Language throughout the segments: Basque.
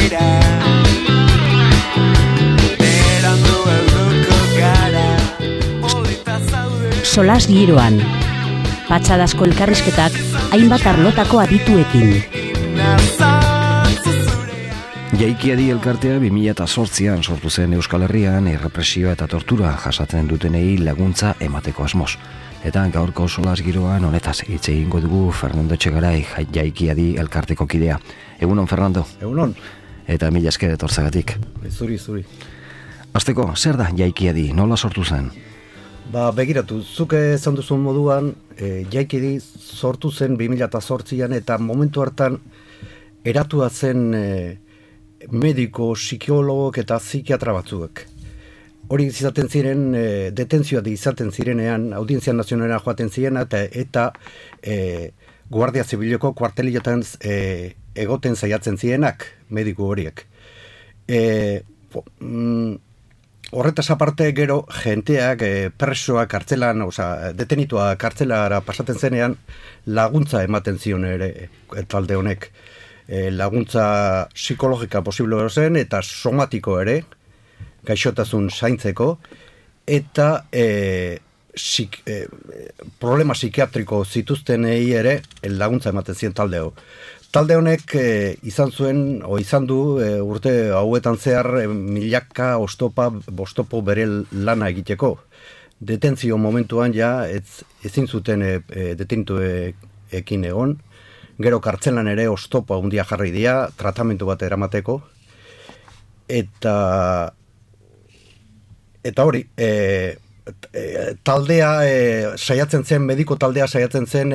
dira berandu helduko gara polita zaude Solas giroan patxadazko elkarrizketak hainbat arlotako adituekin. Jaikiadi elkartea 2008an sortu zen Euskal Herrian errepresioa eta tortura jasatzen dutenei laguntza emateko asmoz. Eta gaurko Solas giroan honetaz hitz egingo dugu Fernando Etxegarai Jaikiadi elkarteko kidea. Egunon, Fernando. Egunon. Eta mila esker etortzagatik. Zuri. Hasteko, zer da Jaikiadi? Nola sortu zen? Begiratu, zuk esan duzun moduan, Jaikiadi sortu zen 2008an eta momentu hartan eratua zen mediko, psikologok eta psikiatra batzuek. Hori izaten ziren, detentzioa izaten zirenean, Audientzia Nazionalera joaten ziren eta Guardia Zibileko kuartelilotan egoten saiatzen zirenak, mediku horiek. Horretaz aparte gero, jenteak presoa kartzelan, detenitua kartzelara pasaten zenean, laguntza ematen zion ere talde honek. Laguntza psikologika posible zen eta somatiko ere, gaixotasun zaintzeko, eta problema psikiatriko zituztenei ere laguntza ematen ziren talde hau. Talde honek izan du urte hauetan zehar milaka bostopo bere lana egiteko. Detentzio momentuan ja ezin zuten detenituekin egon, gero kartzelan ere oztopo handia jarri dira, tratamendu bat eramateko, eta hori, taldea saiatzen zen, mediko taldea saiatzen zen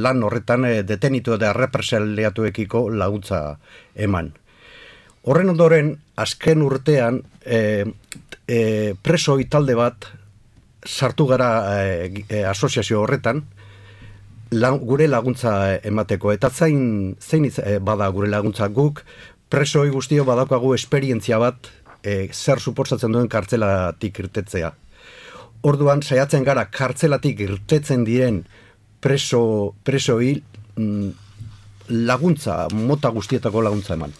lan horretan detenitu eta represaliatuekiko laguntza eman. Horren ondoren, azken urtean, presoi talde bat sartu gara asoziazio horretan, gure laguntza emateko, eta zein bada gure laguntza guk, presoi guztio badaukagu esperientzia bat zer suposatzen duen kartzelatik irtetzea. Orduan, saiatzen gara kartzelatik irtetzen diren presoi laguntza, mota guztietako laguntza eman.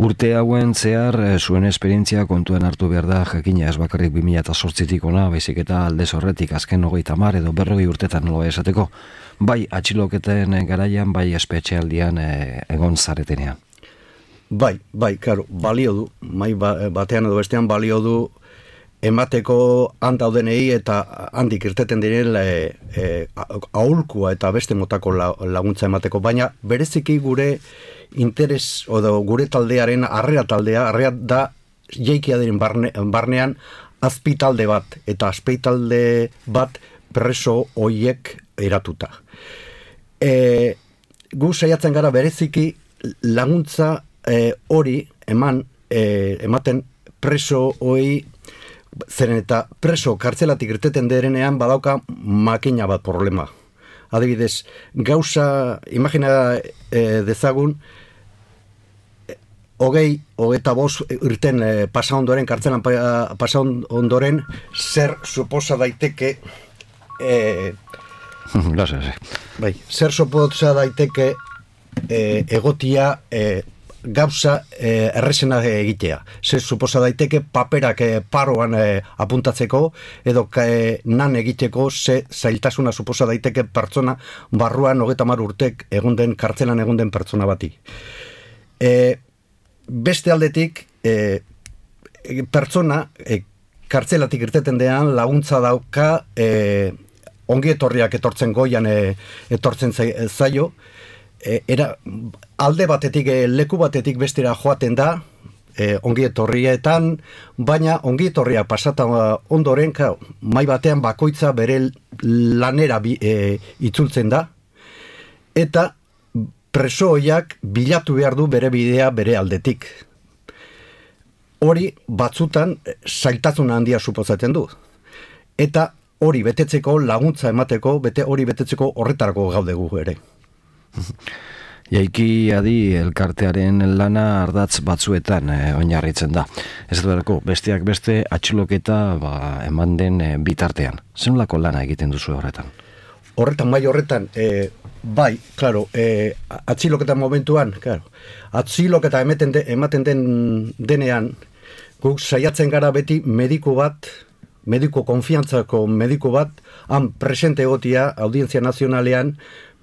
Urte hauen zehar zuen esperientzia kontuan hartu behar da, jakina ez bakarrik 2008tik ona, baizik eta aldez horretik azken 30 edo 40 urtetan nola esateko, bai atxiloketen garaian, bai espetxealdian egon zaretenean. Bai, karo, balio du, mai batean edo bestean balio du emateko handaudenei eta handik irteten diren aholkua eta beste motako laguntza emateko, baina bereziki gure interes, odo gure taldearen arrea da Jaikiadiren barnean azpitalde bat, eta azpitalde bat preso hoiek eratuta. Gu saiatzen gara bereziki laguntza hori ematen preso hoi, zeren eta preso kartzelatik irteten derenean badauka makina bat problema. Adibidez, gauza, imagina dezagun, 25 irten pasa ondoren, kartzelan pasa ondoren, zer suposa daiteke zer suposa daiteke egotia gauza errezena egitea. Zer suposa daiteke paperak paroan apuntatzeko edo nan egiteko zailtasuna suposa daiteke pertsona barruan 30 urtek kartzelan egon den pertsona bati. Beste aldetik pertsona kartzelatik irteten dean laguntza dauka ongietorriak etortzen goian etortzen zaio, alde batetik, leku batetik bestera joaten da, ongietorrietan, baina ongietorria pasata ondoren, mai batean bakoitza bere lanera itzultzen da, eta presoiak bilatu behar du bere bidea bere aldetik. Hori batzutan zailtasun handia suposatzen du. Eta hori betetzeko, laguntza emateko, hori betetzeko horretarako gaudegu ere. Jaikiadi elkartearen lana ardatz batzuetan oinarritzen da. Ez duelako, besteak beste atxiloketa eman den bitartean. Zenolako lana egiten duzu horretan? horretan, mai horretan, bai, klaro, atziloketa momentuan, klaro, atziloketa ematen denean, guk saiatzen gara beti mediku konfiantzako mediku bat, han presente egotia audientzia nazionalean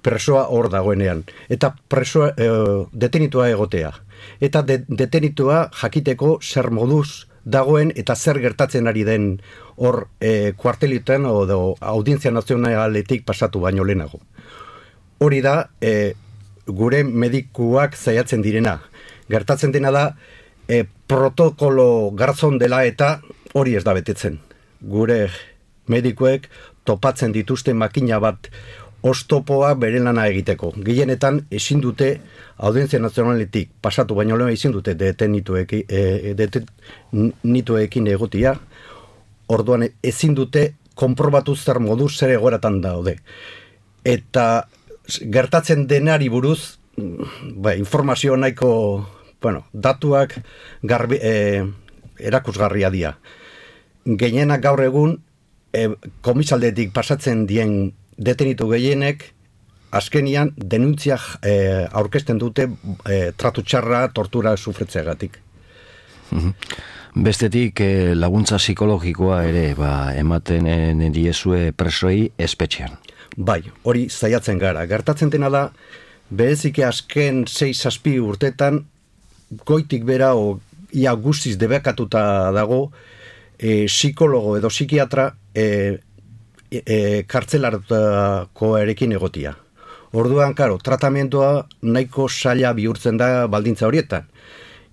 presoa hor dagoenean. Eta presoa, detenitua egotea. Eta detenitua jakiteko zer moduz dagoen eta zer gertatzen ari den hor kuartelitan edo audientzia nazionaletik pasatu baino lehenago. Hori da, gure medikuak zaiatzen direna. Gertatzen dena da, protokolo garzon dela eta hori ez da betetzen. Gure medikuek topatzen dituzte makina bat oztopoa bere lana egiteko. Gehienetan ezin dute audientzia nazionaletik pasatu baino lehen ezin dute detenituekin egotia. Orduan ezin dute konprobatu zer moduz zer egoeratan daude. Eta gertatzen denari buruz informazio nahiko datuak erakusgarria dira. Gehienak gaur egun komisaldetik pasatzen dien detenitu gehienek azkenian denuntzia aurkezten dute tratu txarra, tortura sufretzeagatik. Bestetik laguntza psikologikoa ere ematen diezue presoi espetxean. Bai, hori zaiatzen gara. Gertatzen dena da, bereziki azken 6-7 urtetan goitik bera ia guztiz debekatuta dago psikologo edo psikiatra kartzelarako erekin egotia. Orduan, karo, tratamendua nahiko saila bihurtzen da baldintza horietan.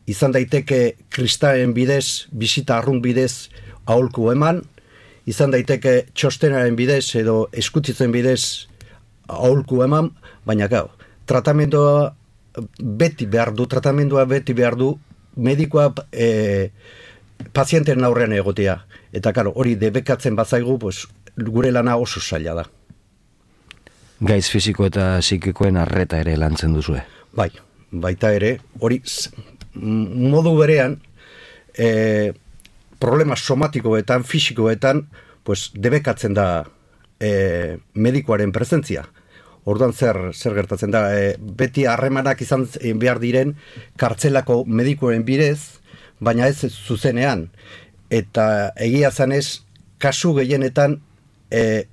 Izan daiteke kristalen bidez, bisita arrun bidez aholku eman, izan daiteke txostenaren bidez edo eskutzitzen bidez aholku eman, baina gau, tratamendua beti behar du, medikoa pazienten aurrean egotea. Eta karo, hori debekatzen bazaigu, pues, gure lana oso zaila da. Gaiz fisiko eta psikikoen arreta ere lantzen duzue? Bai, baita ere, hori modu berean problema somatikoetan, fisikoetan, pues, debekatzen da medikoaren presentzia. Orduan zer gertatzen da, beti harremanak izan behar diren kartzelako medikoen bidez, baina ez zuzenean. Eta egia zanez, kasu gehienetan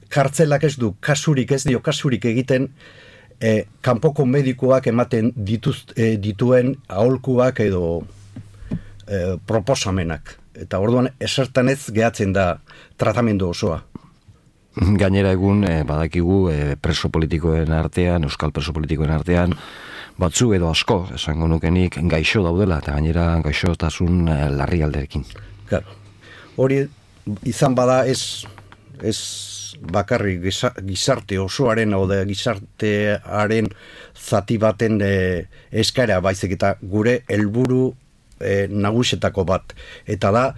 kartzelak ez dio kasurik egiten kanpoko medikoak ematen dituen aholkuak edo proposamenak. Eta orduan esertan ez gehatzen da tratamendu osoa. Gainera egun badakigu preso politikoen artean, euskal preso politikoen artean, batzu edo asko, esango nukenik, gaixo daudela, eta gainera gaixotasun larri alderekin. Claro. Hori izan bada ez bakarrik gizarte osoaren edo gizartearen zati baten eskaera baizik eta gure helburu nagusetako bat. Eta da,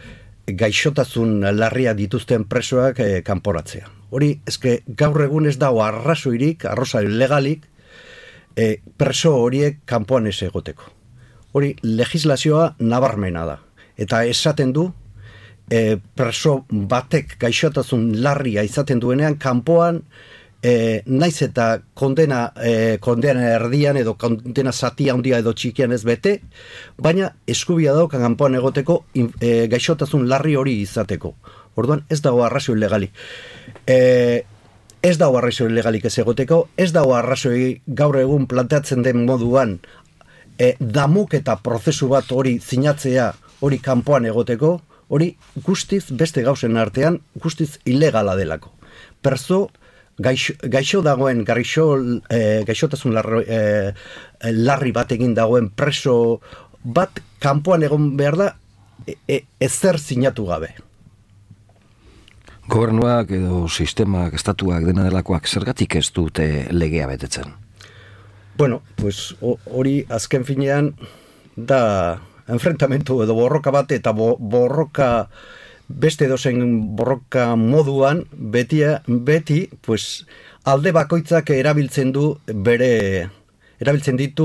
gaixotasun larria dituzten presoak kanporatzea. Hori, eske gaur egun ez dago arrazoirik legalik, preso horiek kanpoan ez egoteko. Hori, legislazioa nabarmena da. Eta esaten du, preso batek gaixotasun larria izaten duenean, kanpoan naiz eta kondena erdian edo kondena zatia handia edo txikian ez bete, baina eskubia dauka kanpoan egoteko gaixotasun larri hori izateko. Orduan ez dago arrazoi legalik. Ez dago arrazoi legalik ez egoteko, ez dago arrazoi gaur egun planteatzen den moduan damuk eta prozesu bat hori sinatzea hori kanpoan egoteko, hori guztiz beste gauzen artean guztiz ilegala delako. Perso gaixo dagoen, gaixotasun larri bat egin dagoen preso bat kanpoan egon behar da ezer sinatu gabe. Gobernuak edo sistemak, estatuak dena delakoak zergatik ez dute legea betetzen? Bueno, pues hori azken finean da enfrentamentu edo borroka bat eta borroka beste dozen borroka moduan beti pues alde bakoitzak erabiltzen ditu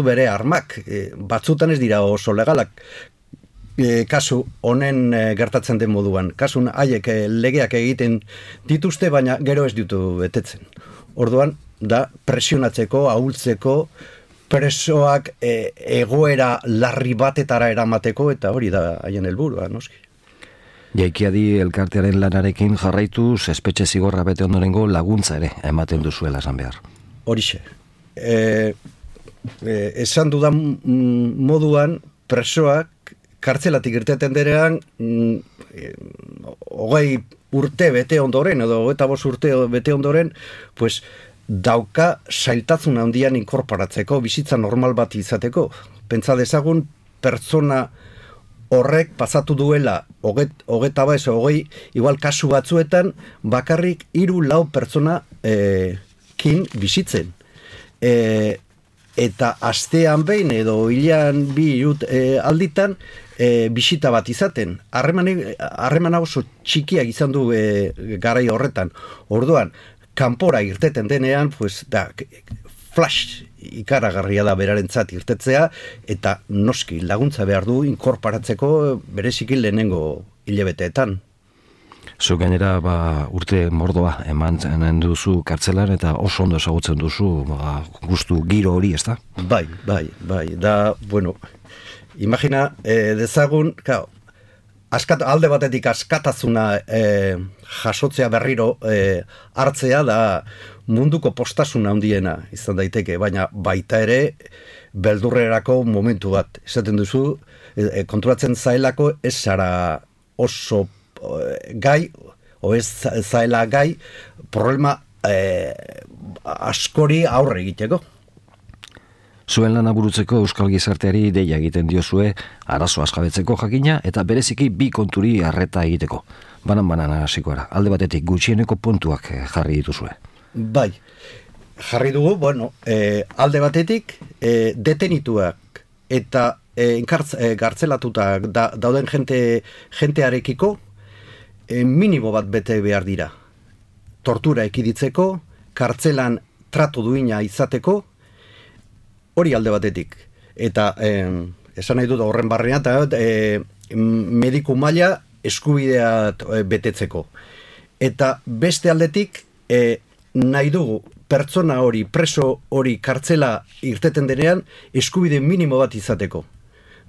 bere armak. Batzutan ez dira oso legalak. kasu honen gertatzen den moduan. Kasun haiek legeak egiten dituzte, baina gero ez ditu betetzen. Orduan, da presionatzeko, ahultzeko, presoak egoera larri batetara eramateko, eta hori da haien helburua, noski. Jaikiadi elkartearen lanarekin jarraituz, espetxe zigorra bete ondorengo laguntza ere ematen duzuela esan behar. Horixe. Esan dudan moduan, presoak kartzelatik irteten derean 20 urte bete ondoren, edo 25 urte bete ondoren, pues, dauka zailtasun handian inkorporatzeko, bizitza normal bat izateko. Pentsa dezagun, pertsona horrek pasatu duela, 20, igual kasu batzuetan, bakarrik 3-4 pertsona kin bizitzen. Eta astean behin edo hilean 2 alditan bisita bat izaten. Harremana oso txikiak izan du garai horretan. Orduan, kanpora irteten denean, pues, da, flash ikaragarria da berarentzat irtetzea, eta noski laguntza behar du inkorporatzeko bereziki lehenengo hilabeteetan. Zu gainera urte mordoa eman duzu kartzelan eta oso ondo ezagutzen duzu gustu giro hori, ezta? Bai. Da, bueno, imagina dezagun, alde batetik askatasuna jasotzea berriro hartzea da munduko postasuna handiena izan daiteke, baina baita ere beldurrerako momentu bat. Esaten duzu, konturatzen zaelako ez zara oso gai, o ez zaela gai, problema askori aurre egiteko. Zuen lana burutzeko euskal gizarteari deia egiten diozue, arazo askabetzeko jakina eta bereziki 2 konturi arreta egiteko. Banan hasiko gara. Alde batetik gutxieneko puntuak jarri dituzue. Bai, jarri dugu, bueno, alde batetik detenituak eta gartzelatutak dauden jentearekiko minimo bat bete behar dira. Tortura ekiditzeko, kartzelan tratu duina izateko, hori alde batetik. Eta esan nahi dut horren barrean, mediku maila eskubidea betetzeko. Eta beste aldetik nahi dugu pertsona hori, preso hori kartzela irteten denean eskubide minimo bat izateko.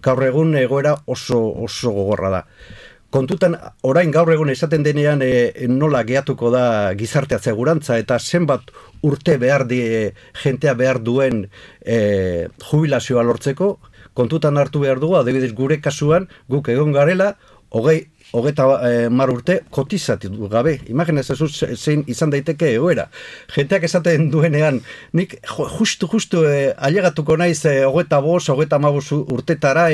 Gaur egun egoera oso gogorra da. Kontutan, orain gaur egun esaten denean nola gehatuko da gizartea segurantza eta zenbat urte jentea behar duen jubilazioa lortzeko, kontutan hartu behar dugu, adibidez gure kasuan, guk egon garela, 30 urte kotizatu gabe. Imagina ezazu zein izan daiteke egoera. Jenteak esaten duenean, nik justu ailegatuko naiz 25, 35 urtetara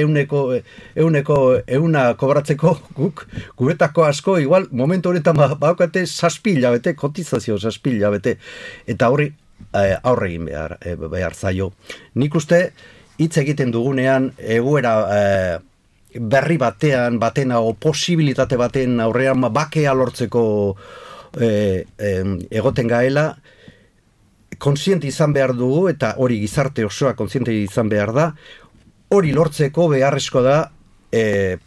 euna kobratzeko guk, guretako asko, igual, momentu horretan baukate 7 hilabete, kotizazio 7 hilabete. Eta horri aurre egin behar zaio. Nik uste, hitz egiten dugunean, egoera berri batena o posibilitate baten aurrean bakea lortzeko egoten gaela, kontziente izan behar dugu, eta hori gizarte osoa kontziente izan behar da, hori lortzeko beharrezko da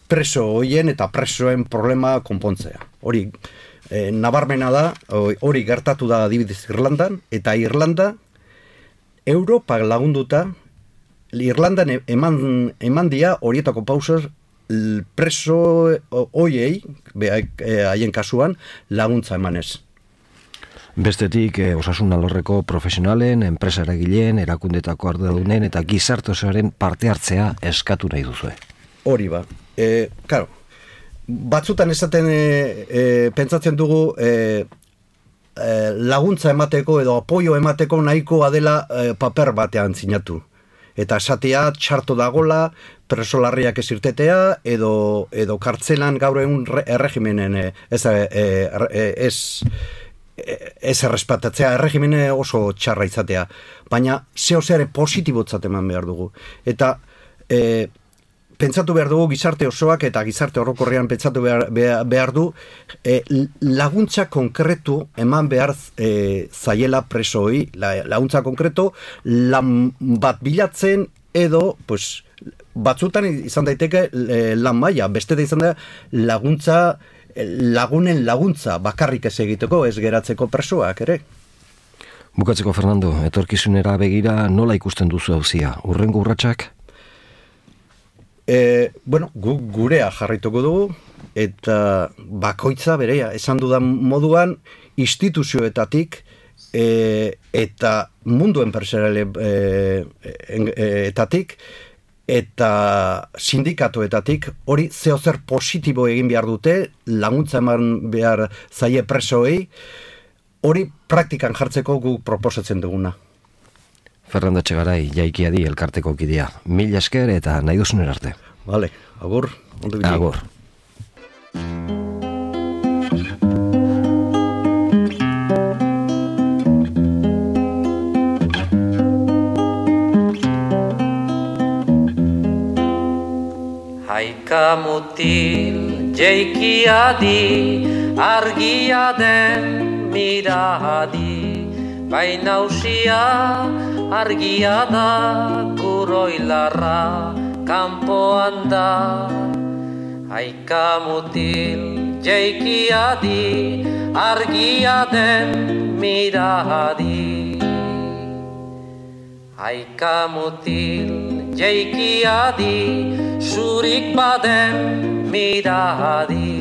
preso hoien eta presoen problema konpontzea. Hori nabarmena da, hori gertatu da adibidez Irlandan, eta Irlanda, Europa lagunduta, Irlandan eman dia horietako pausas preso hoiei, haien kasuan, laguntza emanez. Bestetik, osasun alorreko profesionalen, enpresa eragileen, erakundetako arduradunen eta gizarte osoaren parte hartzea eskatu nahi duzue. Hori ba. Claro, batzutan esaten pentsatzen dugu laguntza emateko edo apoio emateko nahikoa dela paper batean sinatu. Eta esatea txarto dagola, presolarriak ez irtetea, edo kartzelan gaur egun erregimenen ez errespetatzea, erregimene oso txarra izatea. Baina zehozeare positibotzat eman behar dugu. Eta pentsatu behar dugu gizarte osoak eta gizarte orokorrean pentsatu behar du laguntza konkretu eman behar zaiela presoi, laguntza konkretu lan bat bilatzen edo pues, batzutan izan daiteke lan maila, beste da izan da lagunen laguntza bakarrik ez egiteko, ez geratzeko presoak ere. Bukatzeko, Fernando, etorkizunera begira nola ikusten duzu auzia? Hurrengo urratsak? Gurea jarraituko dugu, eta bakoitza berea, esan dudan moduan, instituzioetatik eta mundu enpresarialetatik eta sindikatuetatik hori zeozer positibo egin behar dute, laguntza eman behar zaie presoei, hori praktikan jartzeko guk proposatzen duguna. Fernando Etxegaray, Jaikiadi elkarteko kidea. Mila esker eta nahi duzuner arte. Vale, agur. Ondo bilik. Agur. Haika mutil jeikiadi, argia den miradi, baina usia argia da, kuroilarra kanpoan da. Haika mutil jeikiadi, argia den miradi. Haika mutil jeikiadi, zurik baden miradi,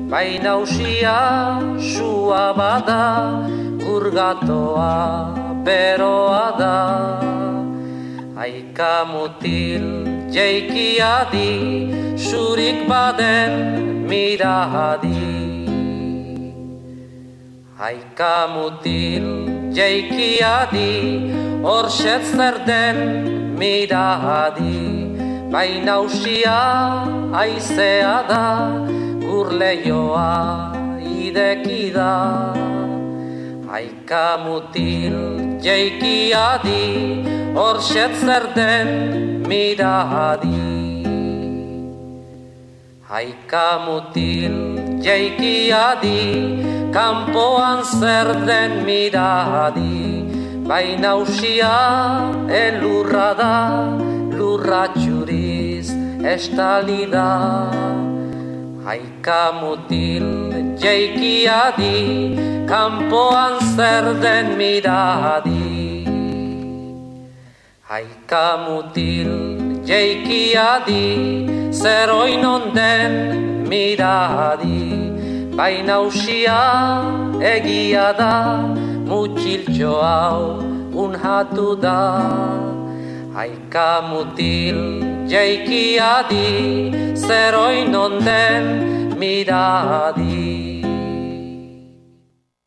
baina usia sua bada, urgatoa beroa da. Haika mutil jeikiadi, zurik baden miradi. Haika mutil jeikiadi, horxet zer den miradi, baina usia aizea da, gurleioa ideki da. Haika mutil jeikiadi, horxet zer den miradi. Haika mutil jeikiadi, kanpoan zer den miradi, baina usia elurra da, lurra txuriz estali da. Haika mutil jeikiadi, kanpoan zer den miradi. Haika mutil jeikiadi, zer oinon den miradi, baina usia egia da, mutxiltxo hau unhatu da. Haika mutil jeikiadi, zer oinon den miradi.